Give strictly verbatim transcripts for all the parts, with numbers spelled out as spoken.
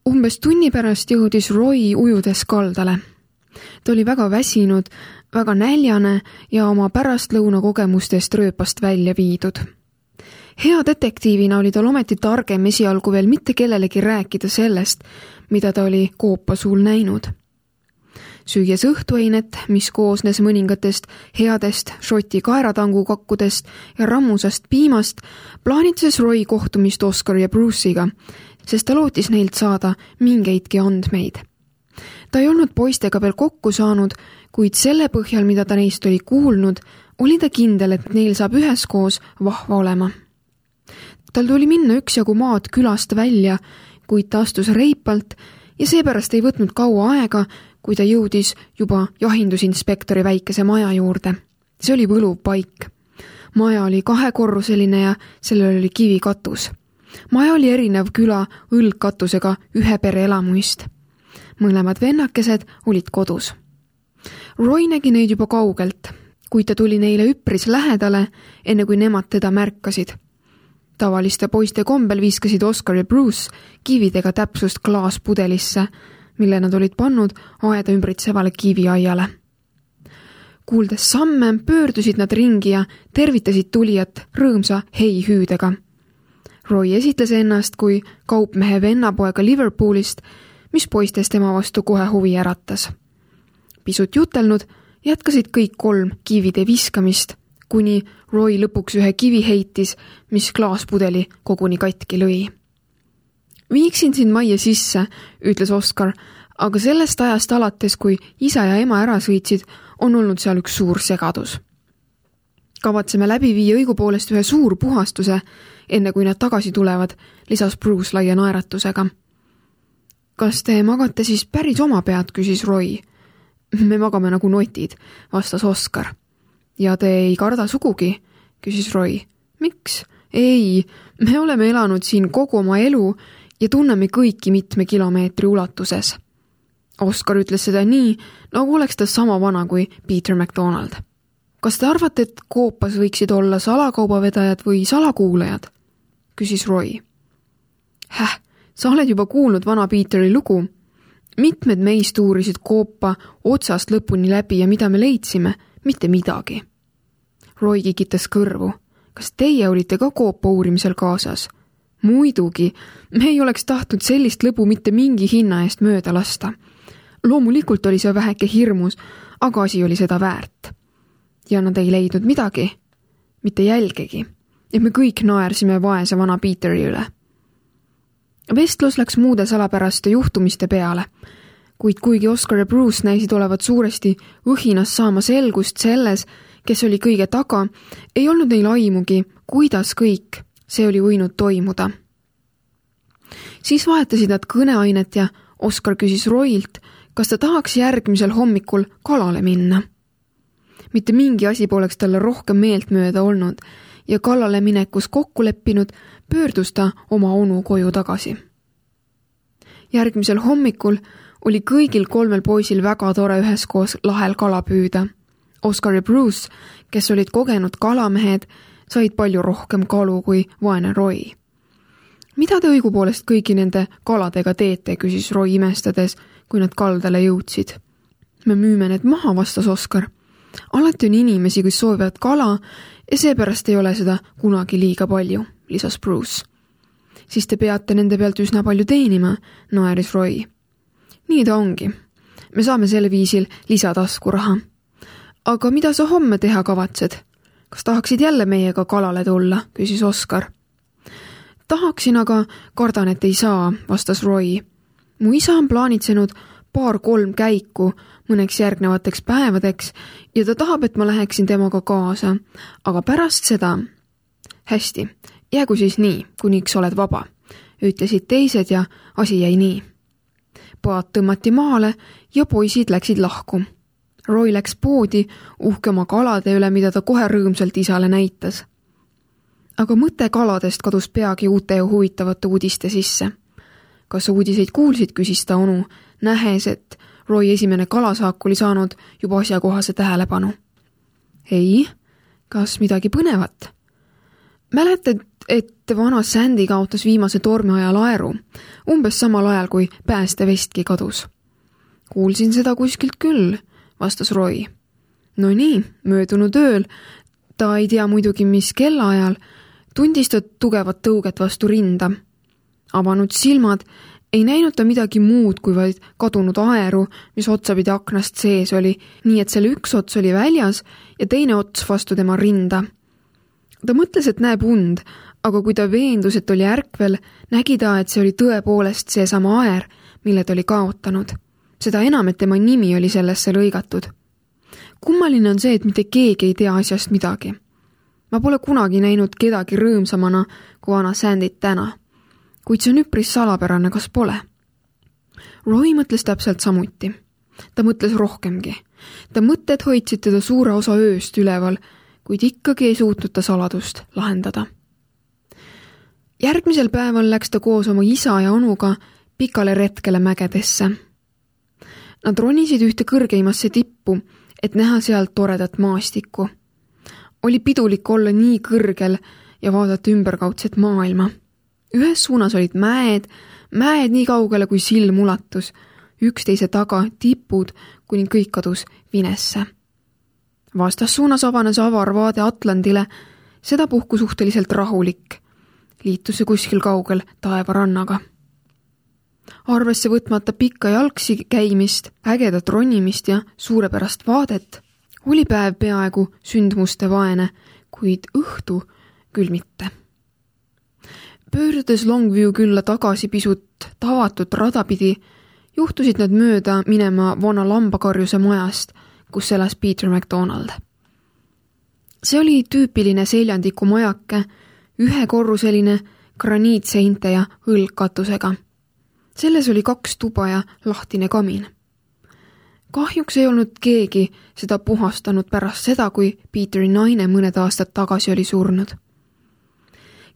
Umbes tunni pärast jõudis Roy ujudes kaldale. Ta oli väga väsinud, väga näljane ja oma pärastlõuna kogemustest rööpast välja viidud. Hea detektiivina oli tal ometi targem esialgu veel mitte kellelegi rääkida sellest, mida ta oli koopa suul näinud. Süües õhtuainet, mis koosnes mõningatest headest šoti kaeratangukakkudest ja rammusast piimast, plaanitses Roy kohtumist Oscar ja Bruce'iga, sest ta lootis neilt saada mingeidki andmeid. Ta ei olnud poistega veel kokku saanud, kuid selle põhjal, mida ta neist oli kuulnud, oli ta kindel, et neil saab üheskoos vahva olema. Tal tuli minna üksjagu maad külast välja, kuid ta astus reipalt ja seepärast ei võtnud kaua aega, kui ta jõudis juba jahindusinspektori väikese maja juurde. See oli võluv paik. Maja oli kahekorruseline ja sellel oli kivikatus. Maja oli erinev küla õlgkatusega ühe pere elamuist. Mõlemad vennakesed olid kodus. Roy nägi neid juba kaugelt, kuid ta tuli neile üpris lähedale, enne kui nemad teda märkasid. Tavaliste poiste kombel viskasid Oscar ja Bruce kividega täpsust klaaspudelisse, mille nad olid pannud aeda ümbritsevale kiviaiale. Kuuldes samme, pöördusid nad ringi ja tervitasid tulijat rõõmsa hei-hüüdega. Roy esitles ennast kui kaupmehe vennapoega Liverpoolist, mis poistes tema vastu kohe huvi äratas. Pisut jutelnud jätkasid kõik kolm kivide viskamist, kuni Roy lõpuks ühe kivi heitis, mis klaaspudeli koguni katki lõi. Viiksin sind majja sisse, ütles Oscar, aga sellest ajast alates, kui isa ja ema ära sõitsid, on olnud seal üks suur segadus. Kavatseme läbi viia õigupoolest ühe suur puhastuse, enne kui nad tagasi tulevad, lisas Bruce laia naeratusega. Kas te magate siis päris oma pead, küsis Roy. Me magame nagu notid, vastas Oscar. Ja te ei karda sugugi, küsis Roy. Miks? Ei, me oleme elanud siin kogu oma elu ja tunneme kõiki mitme kilomeetri ulatuses. Oscar ütles seda nii, nagu oleks ta sama vana kui Peter MacDonald. Kas te arvate, et koopas võiksid olla salakaubavedajad või salakuulajad? Küsis Roy. Häh, sa oled juba kuulnud vana Peteri lugu. Mitmed meist uurisid koopa otsast lõpuni läbi ja mida me leidsime? Mitte midagi. Roy kikitas kõrvu. Kas teie olite ka koopa uurimisel kaasas? Muidugi, me ei oleks tahtnud sellist lõbu mitte mingi hinna eest mööda lasta. Loomulikult oli see väheke hirmus, aga asi oli seda väärt. Ja nad ei leidnud midagi, mitte jälgegi, ja me kõik naersime vaese vana Peteri üle. Vestlus läks muude salapäraste juhtumiste peale, kuid kuigi Oscar ja Bruce näisid olevat suuresti õhinas saama selgust selles, kes oli kõige taga, ei olnud neil aimugi, kuidas kõik see oli võinud toimuda. Siis vahetasid nad kõneainet ja Oscar küsis Roylt, kas ta tahaks järgmisel hommikul kalale minna. Mitte mingi asi poleks talle rohkem meeltmööda olnud ja kalale minekus kokku leppinud, pöördus ta oma onu koju tagasi. Järgmisel hommikul oli kõigil kolmel poisil väga tore üheskoos lahel kala püüda. Oscar ja Bruce, kes olid kogenud kalamehed, said palju rohkem kalu kui vaene Roy. Mida te õigupoolest kõigi nende kaladega teete, küsis Roy imestades, kui nad kaldale jõudsid. Me müüme need maha, vastas Oscar. Alati on inimesi, kes soovivad kala ja seepärast ei ole seda kunagi liiga palju, lisas Bruce. Siis te peate nende pealt üsna palju teenima, naeris Roy. Nii ta ongi. Me saame selle viisil lisataskuraha. Aga mida sa homme teha kavatsed? Kas tahaksid jälle meiega kalale tulla, küsis Oscar. Tahaksin, aga kardan, et ei saa, vastas Roy. Mu isa on plaanitsenud paar-kolm käiku mõneks järgnevateks päevadeks ja ta tahab, et ma läheksin temaga kaasa, aga pärast seda... Hästi, jäägu siis nii, kuniks oled vaba, ütlesid teised ja asi jäi nii. Paat tõmmati maale ja poisid läksid lahku. Roy läks poodi uhke oma kalade üle, mida ta kohe rõõmsalt isale näitas. Aga mõte kaladest kadus peagi uute ja huvitavate uudiste sisse. Kas uudiseid kuulsid, küsis ta onu, nähes, et Roy esimene kalasaak oli saanud juba asjakohase tähelepanu. Ei, kas midagi põnevat? Mäletad, et vana Sandy kaotas viimase tormi ajal aeru, umbes samal ajal, kui päästevestki kadus. Kuulsin seda kuskilt küll, vastas Roy. No nii, möödunud ööl, ta ei tea muidugi, mis kellaajal, tundis ta tugevat tõuget vastu rinda. Avanud silmad, ei näinud ta midagi muud kui vaid kadunud aeru, mis otsapidi aknast sees oli, nii et selle üks ots oli väljas ja teine ots vastu tema rinda. Ta mõtles, et näeb und, aga kui ta veendus, et oli ärkvel, nägi ta, et see oli tõepoolest seesama aer, mille ta oli kaotanud. Seda enam, et tema nimi oli sellesse lõigatud. Kummaline on see, et mitte keegi ei tea asjast midagi. Ma pole kunagi näinud kedagi rõõmsamana kui vana Sandit täna. Kuid see on üpris salapärane, kas pole? Roy mõtles täpselt samuti. Ta mõtles rohkemgi. Ta mõtted hoidsid teda suure osa ööst üleval, kuid ikkagi ei suutnud ta saladust lahendada. Järgmisel päeval läks ta koos oma isa ja onuga pikale retkele mägedesse. Nad ronisid ühte kõrgeimasse tippu, et näha sealt toredat maastikku. Oli pidulik olla nii kõrgel ja vaadata ümberkaudset maailma. Ühes suunas olid mäed, mäed nii kaugele kui silm ulatus, üksteise taga tipud, kuni kõik kadus vinesse. Vastas suunas avanes avar vaade Atlandile, seda puhku suhteliselt rahulik. Liitus see kuskil kaugel taevarannaga. Arvesse võtmata pikka jalgsi käimist, ägedat ronimist ja suurepärast vaadet, oli päev peaaegu sündmuste vaene, kuid õhtu küll mitte. Pöördudes Longview külla tagasi pisut tavatut radapidi, juhtusid nad mööda minema vana lambakarjuse majast, kus elas Peter MacDonald. See oli tüüpiline seljandiku majake, ühekorruseline graniitseinte ja õlgkatusega. Selles oli kaks tuba ja lahtine kamin. Kahjuks ei olnud keegi seda puhastanud pärast seda, kui Peteri naine mõned aastad tagasi oli surnud.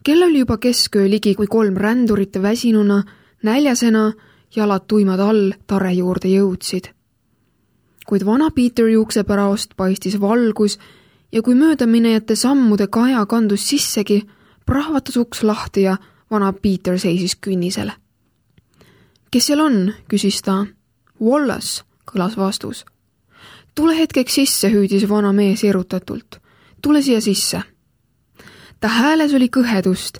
Kell oli juba kesköö ligi, kui kolm rändurit väsinuna, näljasena, jalad tuimad all tare juurde jõudsid. Kuid vana Peter juuksepäraost paistis valgus ja kui möödaminejate sammude kaja kandus sissegi, prahvatas uks lahti ja vana Peter seisis künnisel. Kes seal on, küsis ta. Wallace, kõlas vastus. Tule hetkeks sisse, hüüdis vana mees erutatult. Tule siia sisse. Ta hääles oli kõhedust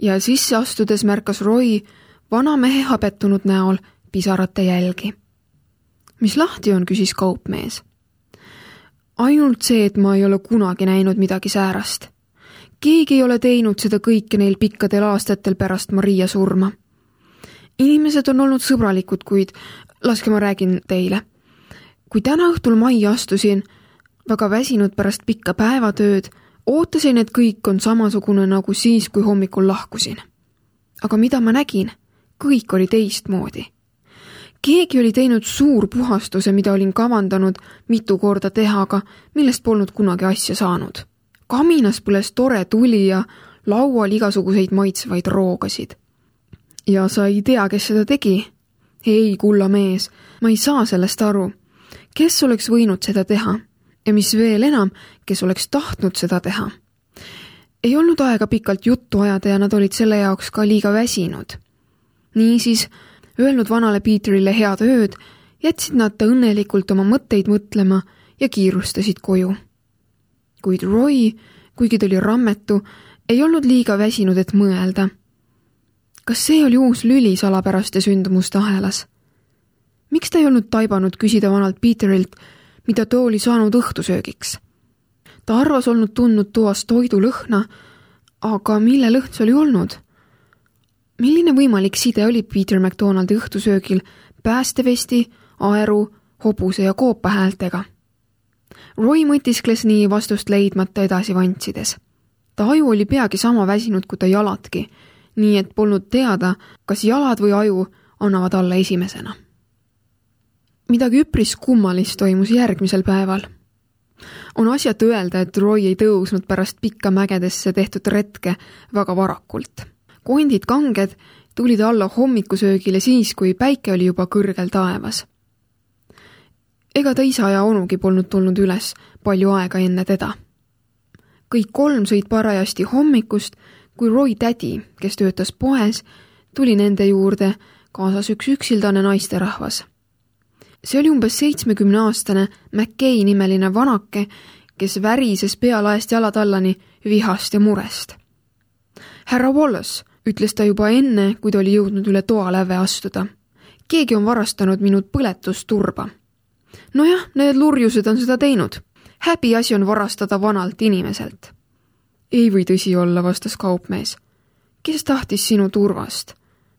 ja sisse astudes märkas Roy vana mehe habetunud näol pisarate jälgi. Mis lahti on, küsis kaupmees. Ainult see, et ma ei ole kunagi näinud midagi säärast. Keegi ei ole teinud seda kõike neil pikkadel aastatel pärast Maria surma. Inimesed on olnud sõbralikud, kuid laske ma räägin teile. Kui täna õhtul majja astusin, väga väsinud pärast pikka päevatööd, ootasin, et kõik on samasugune nagu siis, kui hommikul lahkusin. Aga mida ma nägin? Kõik oli teistmoodi. Keegi oli teinud suur puhastuse, mida olin kavandanud mitu korda teha, aga millest polnud kunagi asja saanud. Kaminas põles tore tuli ja laual igasuguseid maitsvaid roogasid. Ja sa ei tea, kes seda tegi? Ei, kulla mees, ma ei saa sellest aru. Kes oleks võinud seda teha? Ja mis veel enam, kes oleks tahtnud seda teha? Ei olnud aega pikalt juttu ajada ja nad olid selle jaoks ka liiga väsinud. Niisiis, öelnud vanale Peterile head ööd, jätsid nad ta õnnelikult oma mõtteid mõtlema ja kiirustasid koju. Kuid Roy, kuigi ta oli rammetu, ei olnud liiga väsinud, et mõelda. Kas see oli uus lüli salapäraste sündmuste ahelas? Miks ta ei olnud taibanud küsida vanalt Peterilt, mida too oli saanud õhtusöögiks? Ta arvas olnud tundnud toas toidu lõhna, aga mille lõhn see oli olnud? Milline võimalik side oli Peter MacDonaldi õhtusöögil päästevesti, aeru, hobuse ja koopa häältega? Roy mõtiskles nii vastust leidmata edasi vantsides. Ta aju oli peagi sama väsinud kui ta jaladki, nii et polnud teada, kas jalad või aju annavad alla esimesena. Midagi üpris kummalist toimus järgmisel päeval. On asjat öelda, et Roy ei tõusnud pärast pikka mägedesse tehtud retke väga varakult. Kondid kanged tulid alla hommikusöögile siis, kui päike oli juba kõrgel taevas. Ega ta isa ja onugi polnud tulnud üles palju aega enne teda. Kõik kolm sõid parajasti hommikust, kui Roy tädi, kes töötas poes, tuli nende juurde, kaasas üks üksildane naisterahvas. See oli umbes seitsmekümneaastane McKay nimeline vanake, kes värises pealaest jalatallani vihast ja murest. Härra Wallace, ütles ta juba enne, kui ta oli jõudnud üle toaläve astuda. Keegi on varastanud minut põletusturba. Nojah, need lurjused on seda teinud. Häbi asi on varastada vanalt inimeselt. Ei või tõsi olla, vastas kaupmees. Kes tahtis sinu turvast?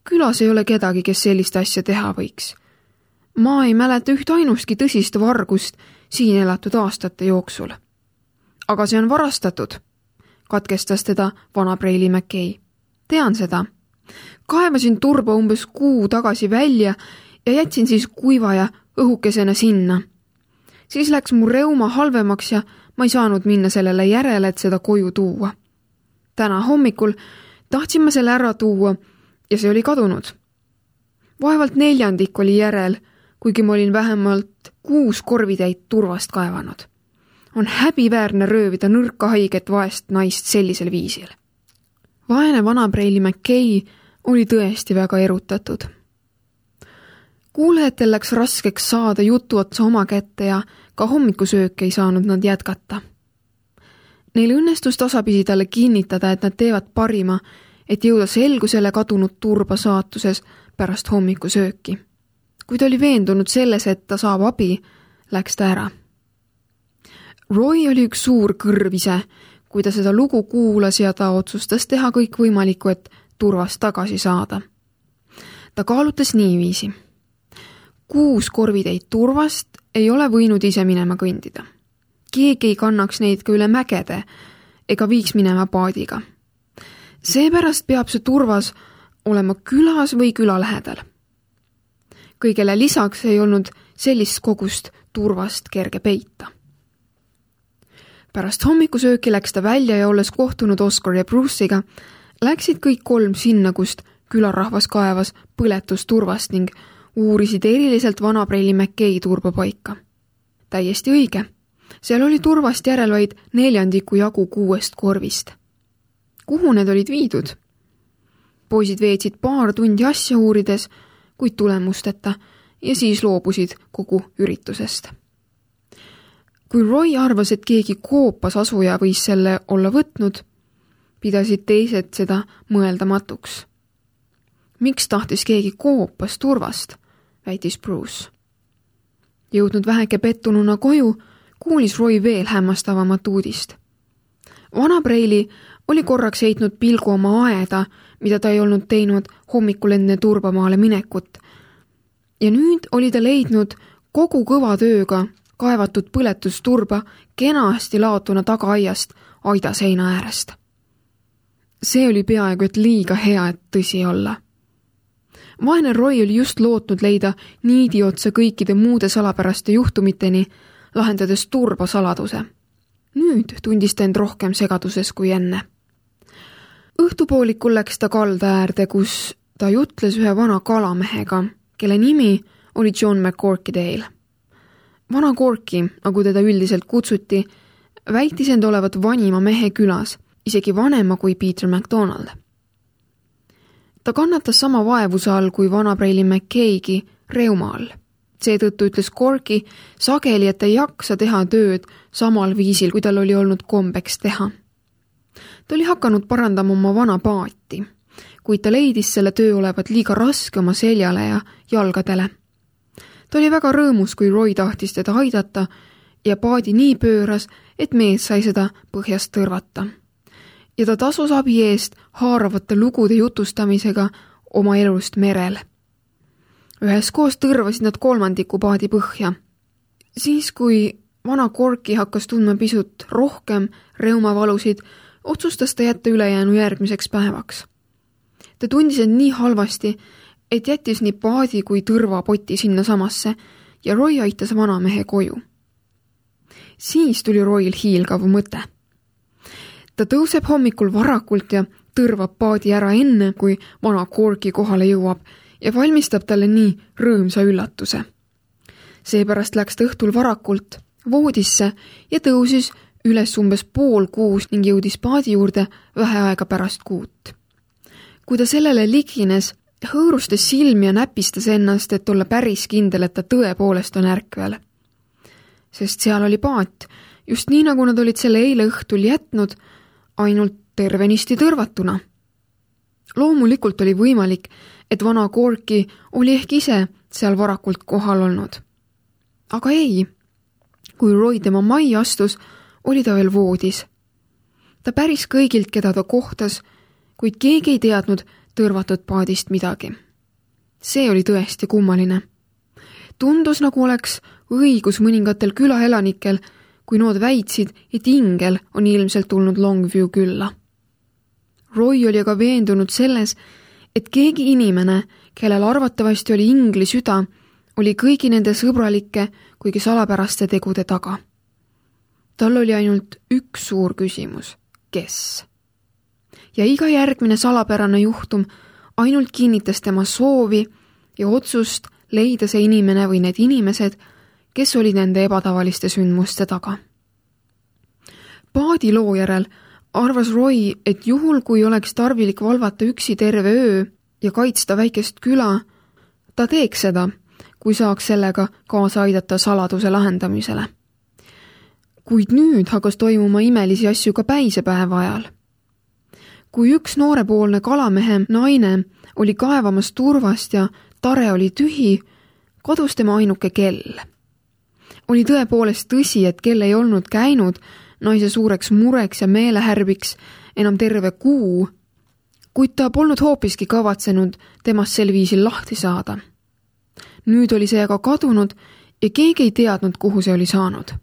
Külas ei ole kedagi, kes sellist asja teha võiks. Ma ei mäleta üht ainustki tõsist vargust siin elatud aastate jooksul. Aga see on varastatud, katkestas teda vana Preili McKay. Tean seda. Kaevasin turba umbes kuu tagasi välja ja jätsin siis kuiva ja õhukesena sinna. Siis läks mu reuma halvemaks ja ma ei saanud minna sellele järele, et seda koju tuua. Täna hommikul tahtsin ma selle ära tuua ja see oli kadunud. Vaevalt neljandik oli järel, kuigi ma olin vähemalt kuus korvitäit turvast kaevanud. On häbiväärne röövida nõrka haiget vaest naist sellisel viisil. Vaene vana Preili McKay oli tõesti väga erutatud. Kuulejatel läks raskeks saada jutu otsa oma kätte ja ka hommikusöök ei saanud nad jätkata. Neil õnnestus tasapisi talle kinnitada, et nad teevad parima, et jõuda selgusele kadunud turba saatuses pärast hommikusööki. Kui ta oli veendunud selles, et ta saab abi, läks ta ära. Roy oli üks suur kõrv ise, kui ta seda lugu kuulas ja ta otsustas teha kõik võimalikku, et turvast tagasi saada. Ta kaalutas niiviisi. Kuus korvitäit turvast ei ole võinud ise minema kõndida. Keegi ei kannaks neid ka üle mägede ega viiks minema paadiga. Seepärast peab see turvas olema külas või küla lähedal. Kõigele lisaks ei olnud sellist kogust turvast kerge peita. Pärast hommikusööki läks ta välja ja olles kohtunud Oscar ja Bruce'iga, läksid kõik kolm sinna, kust külarahvas kaevas põletusturvast ning uurisid eriliselt vana Preili McKay turbapaika. Täiesti õige. Seal oli turvast järel vaid neljandiku jagu kuuest korvist. Kuhu need olid viidud? Poisid veetsid paar tundi asja uurides, kuid tulemusteta ja siis loobusid kogu üritusest. Kui Roy arvas, et keegi koopas asuja võis selle olla võtnud, pidasid teised seda mõeldamatuks. Miks tahtis keegi koopas turvast, väitis Bruce. Jõudnud väheke pettununa koju, kuulis Roy veel hämmastavamat uudist. Vana Preili oli korraks heitnud pilgu oma aeda, mida ta ei olnud teinud hommikul enne turbamaale minekut. Ja nüüd oli ta leidnud kogu kõva tööga kaevatud põletusturba kenasti laotuna tagaaiast aida seina äärest. See oli peaaegu et liiga hea, et tõsi olla. Vaene Roy oli just lootnud leida niidi otsa kõikide muude salapäraste juhtumiteni, lahendades turba saladuse. Nüüd tundis ta end rohkem segaduses kui enne. Õhtupoolikul läks ta kalda äärde, kus ta jutles ühe vana kalamehega, kelle nimi oli John McCorkydale. Vana Corky, nagu teda üldiselt kutsuti, väitis end olevat vanima mehe külas, isegi vanema kui Peter MacDonald. Ta kannatas sama vaevuse all kui vana Preili McKaygi reuma all. Seetõttu ütles Corky sageli, et ta ei jaksa teha tööd samal viisil, kui tal oli olnud kombeks teha. Ta oli hakanud parandama oma vana paati, kuid ta leidis selle töö olevat liiga raske oma seljale ja jalgadele. Ta oli väga rõõmus, kui Roy tahtis teda aidata ja paadi nii pööras, et mees sai seda põhjast tõrvata. Ja ta tasus abi eest haaravate lugude jutustamisega oma elust merel. Üheskoos tõrvasid nad kolmandiku paadi põhja. Siis, kui vana Corky hakkas tundma pisut rohkem reumavalusid, otsustas ta jätta ülejäänu järgmiseks päevaks. Ta tundis end nii halvasti, et jättis nii paadi kui tõrvapoti sinna samasse ja Roy aitas vanamehe koju. Siis tuli Royl hiilgav mõte. Ta tõuseb hommikul varakult ja tõrvab paadi ära enne, kui vana Corky kohale jõuab ja valmistab talle nii rõõmsa üllatuse. Seepärast läks ta õhtul varakult voodisse ja tõusis üles umbes pool kuus ning jõudis paadi juurde vähe aega pärast kuut. Kui ta sellele ligines, hõõrustas silmi ja näpistas ennast, et olla päris kindel, et ta tõepoolest on ärkvel. Sest seal oli paat, just nii nagu nad olid selle eile õhtul jätnud, ainult tervenisti tõrvatuna. Loomulikult oli võimalik, et vana Corky oli ehk ise seal varakult kohal olnud. Aga ei, kui Roy tema majja astus, oli ta veel voodis. Ta päris kõigilt, keda ta kohtas, kuid keegi ei teadnud tõrvatud paadist midagi. See oli tõesti kummaline. Tundus, nagu oleks õigus mõningatel külaelanikel, kui nood väitsid, et ingel on ilmselt tulnud Longview külla. Roy oli aga veendunud selles, et keegi inimene, kellel arvatavasti oli ingli süda, oli kõigi nende sõbralike, kuigi salapäraste tegude taga. Tal oli ainult üks suur küsimus, kes? Ja iga järgmine salapärane juhtum ainult kinnitas tema soovi ja otsust leida see inimene või need inimesed, kes olid nende ebatavaliste sündmuste taga. Paadi loo järel arvas Roy, et juhul, kui oleks tarvilik valvata üksi terve öö ja kaitsta väikest küla, ta teeks seda, kui saaks sellega kaasa aidata saladuse lahendamisele. Kuid nüüd hakkas toimuma imelisi asju ka päisepäeva ajal. Kui üks noorepoolne kalamehe naine oli kaevamas turvast ja tare oli tühi, kadus tema ainuke kell. Oli tõepoolest tõsi, et kell ei olnud käinud naise suureks mureks ja meelehärbiks enam terve kuu, kuid ta polnud hoopiski kavatsenud temast sel viisil lahti saada. Nüüd oli see aga kadunud ja keegi ei teadnud, kuhu see oli saanud.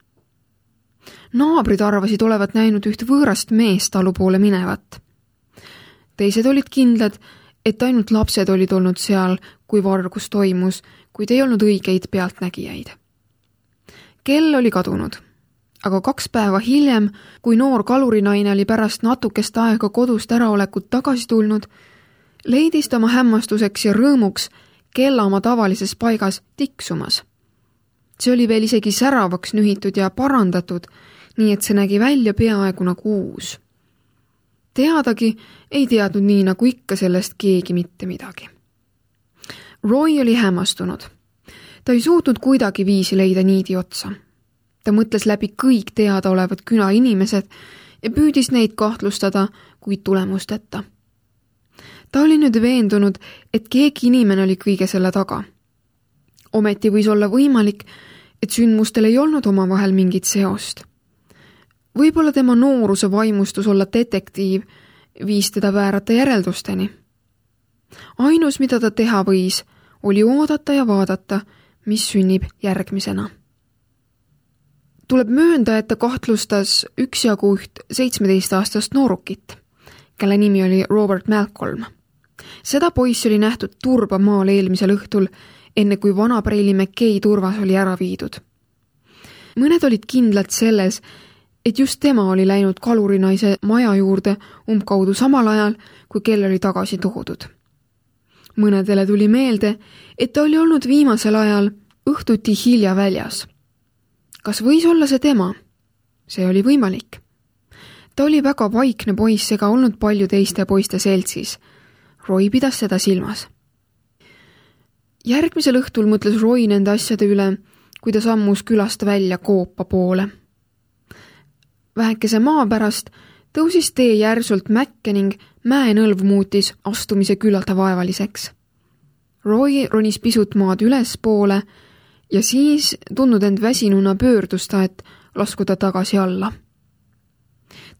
Naabrid arvasid olevat näinud üht võõrast meest talu poole minevat. Teised olid kindlad, et ainult lapsed olid olnud seal, kui vargus toimus, kuid ei olnud õigeid pealtnägijaid. Kell oli kadunud, aga kaks päeva hiljem, kui noor kalurinaine oli pärast natukest aega kodust äraolekut tagasi tulnud, leidis ta oma hämmastuseks ja rõõmuks kella oma tavalises paigas tiksumas. See oli veel isegi säravaks nühitud ja parandatud, nii et see nägi välja peaaegu nagu uus. Teadagi ei teadnud nii nagu ikka sellest keegi mitte midagi. Roy oli hämmastunud. Ta ei suutnud kuidagi viisi leida niidi otsa. Ta mõtles läbi kõik teadaolevad küla inimesed ja püüdis neid kahtlustada, kuid tulemusteta. Ta oli nüüd veendunud, et keegi inimene oli kõige selle taga. Ometi võis olla võimalik, et sündmustel ei olnud omavahel mingit seost. Võib-olla tema nooruse vaimustus olla detektiiv viis teda väärata järeldusteni. Ainus, mida ta teha võis, oli oodata ja vaadata, mis sünnib järgmisena. Tuleb möönda, et ta kahtlustas üksjagu üht seitsmeteistaastast noorukit, kelle nimi oli Robert Malcolm. Seda poissi oli nähtud turba maal eelmisel õhtul, enne kui vana Preili McKay turvas oli ära viidud. Mõned olid kindlad selles, et just tema oli läinud kalurinaise maja juurde umbkaudu samal ajal, kui kell oli tagasi toodud. Mõnedele tuli meelde, et ta oli olnud viimasel ajal õhtuti hilja väljas. Kas võis olla see tema? See oli võimalik. Ta oli väga vaikne poiss ega olnud palju teiste poiste seltsis. Roy pidas seda silmas. Järgmisel õhtul mõtles Roy nende asjade üle, kui ta sammus külast välja Koopa poole. Vähekese maa pärast tõusis tee järsult mäkke ning mäenõlv muutis astumise küllalt vaevaliseks. Roy ronis pisut maad üles poole ja siis tundnud end väsinuna pöördus ta, et laskuda tagasi alla.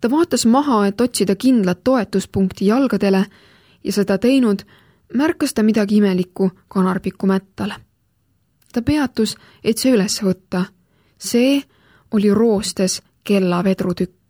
Ta vaatas maha, et otsida kindlat toetuspunkti jalgadele ja seda teinud märkas ta midagi imelikku kanarpiku mättal. Ta peatus, et see üles võtta. See oli roostes kella vedrutükk.